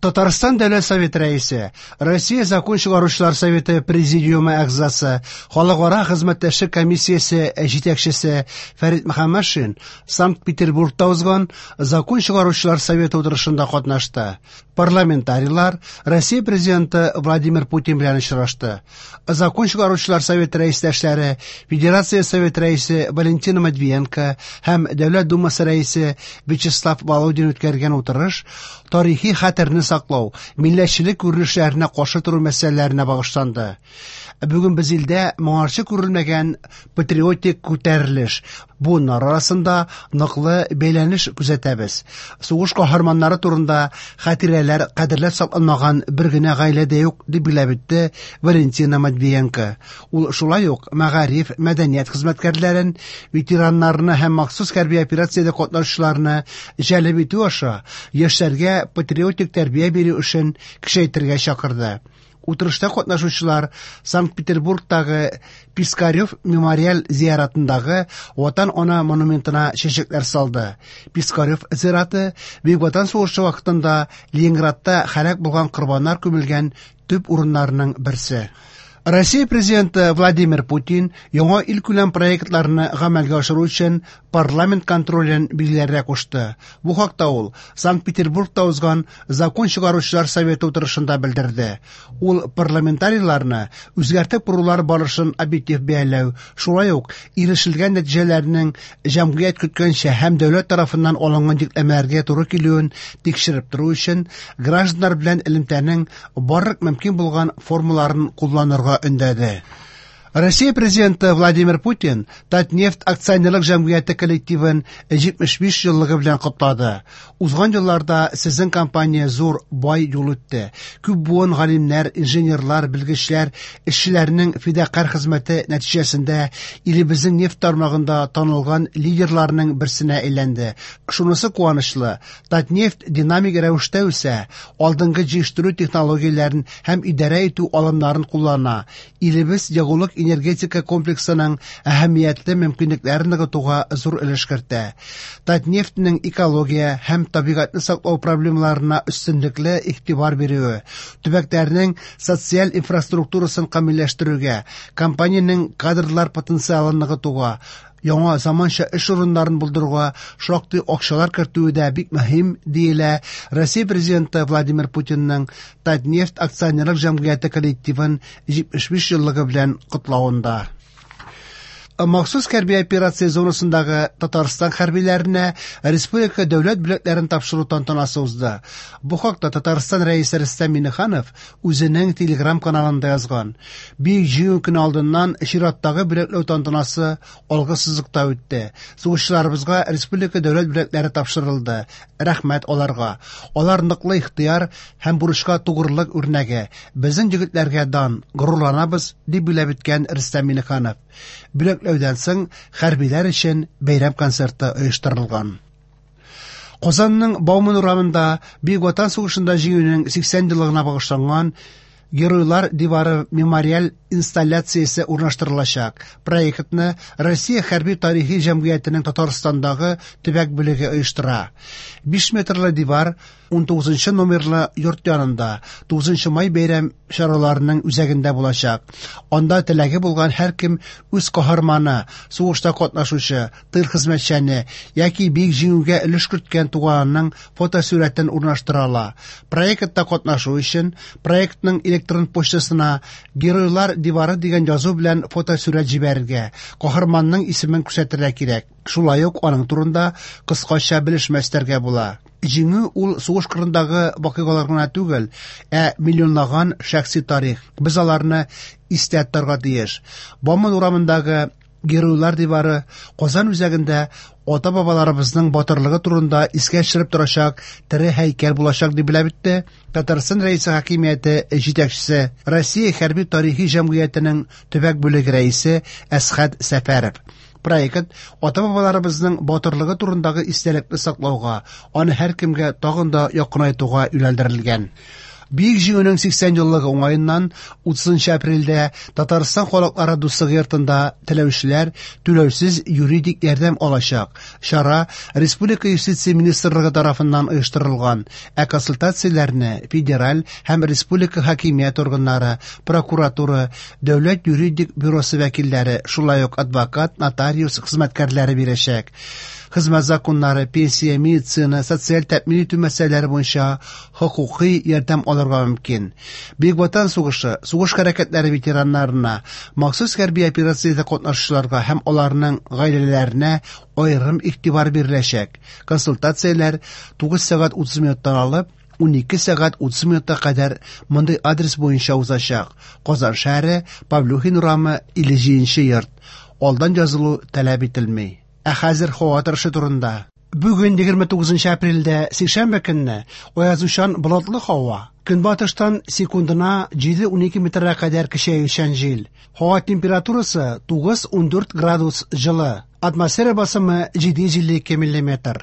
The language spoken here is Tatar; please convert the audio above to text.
Татарстан Дәүләт Советы Рәисе, Россия Закон чыгаручылар советы президиумы әгъзасы, Халыкара хезмәттәшлек комиссиясе җитәкчесе Фәрит Мөхәммәтшин Санкт-Петербургта узган Закон чыгаручылар советы утырышында катнашты. Парламентарийлар Россия Президенты Владимир Путин белән очрашты. Закон чыгаручылар советы рәистәшләре, Федерация Советы рәисе Валентина Матвиенко һәм Дәүләт Думасы рәисе Вячеслав Володин үткәргән утырыш тарихи хәтерне саклау, милләтчелек күренешләренә каршы тору мәсьәләләренә багышланды. Бүген без илдә моңарчы күрелмәгән патриотик күтәрелеш, буыннар арасында ныклы бәйләнеш күзәтәбез. Сугыш каһарманнары турында хатирәләр кадерләп сакланмаган бер генә гаилә дә юк, дип билгеләп үтте Валентина Матвиенко. Ул шулай ук мәгариф, мәдәният хезмәткәрләрен, ветераннарны һәм махсус хәрби операциядә катнашучыларны җәлеп итү аша яшьләргә патриотик тәрбия бирү эшен көчәйтергә чакырды. Утырышта катнашучылар Санкт-Петербургтагы Пискарев мемориаль зиратындагы Ватан Ана монументына чәчәкләр салды. Пискарев зираты Бөек Ватан сугышы вакытында Ленинградта һәлак булган корбаннар күмелгән төп урыннарының берсе. Россия Президенты Владимир Путин яңа илкүләм проектларны гамәлгә ашыру өчен парламент контролен билгеләргә кушты. Бу хакта ул Санкт-Петербургта узган Закон чыгаручылар советы утырышында белдерде. Ул парламентарийларны үзгәртеп корулар барышын объектив бәяләү, шулай ук ирешелгән нәтиҗәләрнең җәмгыять көткәнчә һәм дәүләт тарафыннан алынган йөкләмәләргә туры килүен тикшереп тору өчен гражданнар белән элемтәнең барлык мөмкин булган формаларын кулланырга өндәде. Россия Президенты Владимир Путин Татнефть акционерлык җәмгыяте коллективын 75 еллыгы белән котлады. Узган елларда сезнең компания зур, бай юл үтте. Күп буын галимнәр, инженерлар, белгечләр, эшчеләрнең фидакарь хезмәте нәтиҗәсендә илебезнең нефть тармагында танылган лидерларның берсенә әйләнде. Шунысы куанычлы, Татнефть динамик рәвештә үсә, алдынгы җыештыру технологияләрен һәм идарә итү алымнарын куллана. Илебез ягулык энергетика комплексының әһәмиятле мөмкинлекләрен ныгытуга зур өлеш кертә. Татнефтьнең экология һәм табигатьне саклау проблемаларына өстенлекле игътибар бирүе, төбәкләрнең социаль инфраструктурасын камилләштерүгә, компаниянең кадрлар потенциалын ныгытуга, яңа заманча эш урыннарын булдыруга шактый акчалар кертүе дә бик мөһим, диелә Россия Президенты Владимир Путинның Татнефть акционерлык җәмгыяте коллективын 75 еллыгы белән котлавында. Махсус хәрби операция зонасындагы Татарстан хәрбиләренә республика дәүләт бүләкләрен тапшыру тантанасы узды. Бу хакта Татарстан Рәисе Рөстәм Миңнеханов үзенең Телеграм каналында язган. Бөек Җиңү көне алдыннан чираттагы бүләкләү тантанасы алгы сызыкта үтте. Сугышчыларыбызга республика дәүләт бүләкләре тапшырылды. Рәхмәт аларга. Алар ныклы ихтыяр һәм бурычка тугрылык үрнәге. Безнең егетләргә дан, горурланабыз, дип билгеләп үткән Рөстәм Миңнеханов. Бүләкләүдән соң хәрбиләр өчен бәйрәм концерты оештырылган. Казанның Бауман урамында Бөек Ватан сугышында җиңүнең 80 еллыгына багышланган Геройлар дивары мемориаль инсталляциясе урнаштырылачак. Проектны Россия хәрби тарихи җәмгыятенең Татарстандагы төбәк бүлеге оештыра. 5 метрлы дивар 19 номерлы йорт янында 9 май бәйрәм чараларының үзәгендә булачак. Анда теләге булган һәркем үз каһарманы, сугышта катнашучы, тыл хезмәтчәне яки Бөек Җиңүгә өлеш керткән туганының фотосурәтен урнаштыра ала. Проектта катнашу өчен проектның электрон почтасына Геройлар дивары дигән язу белән фотосурәт җибәрергә, каһарманның исемен күрсәтергә кирәк. Шулай ук аның турында кыскача белешмә өстәргә була. Җиңү ул сугыш кырындагы вакыйгалар гына түгел, ә миллионлаган шәхси тарих. Без аларны истә тотарга тиеш. Бауман урамындагы Геройлар дивары Казан үзәгендә ата-бабаларыбызның батырлыгы турында искә төшереп торачак тере һәйкәл булачак, дип билгеләп үтте Татарстан Рәисе хакимияте җитәкчесе, Россия хәрби тарихи җәмгыятенең төбәк бүлеге рәисе Әсхәт Сәфәров. Проект ата-бабаларыбызның батырлыгы турындагы истәлекне саклауга, аны һәркемгә тагын да якынайтуга юнәлдерелгән. Бөек Җиңүнең 80 еллыгы уңаеннан 30 апрельдә Татарстан халыклары дуслыгы йортында теләүчеләр түләүсез юридик ярдәм алачак. Чара Республика юстиция министрлыгы тарафыннан оештырылган, ә консультацияләрне федераль һәм республика хакимият органнары, прокуратура, дәүләт юридик бюросы вәкилләре, шулай ук адвокат, нотариус хезмәткәрләре бирәчәк. Хезмәт законнары, пенсия, медицина, социаль тәэмин итү мәсьәләләре буенча хокукый ярдәм алырга мөмкин. Бөек Ватан сугышы, сугыш хәрәкәтләре ветераннарына, махсус хәрби операциядә катнашучыларга һәм аларның гаиләләренә аерым игътибар биреләчәк. Консультацияләр 9 сәгать 30 минуттан алып 12 сәгать 30 минутка кадәр мондый адрес буенча узачак. Казан шәһәре, Павлюхин урамы, 57 йорт. Алдан язылу таләп ителми. Ә хәзер һава торышы турында. Бүген 29 апрельдә сишәмбе көнне аязучан болытлы һава. Көнбатыштан секундына 7-12 метрга кадәр көчәючән җил. Һава температурасы 9-14 градус җылы. Атмосфера басымы 752 миллиметр.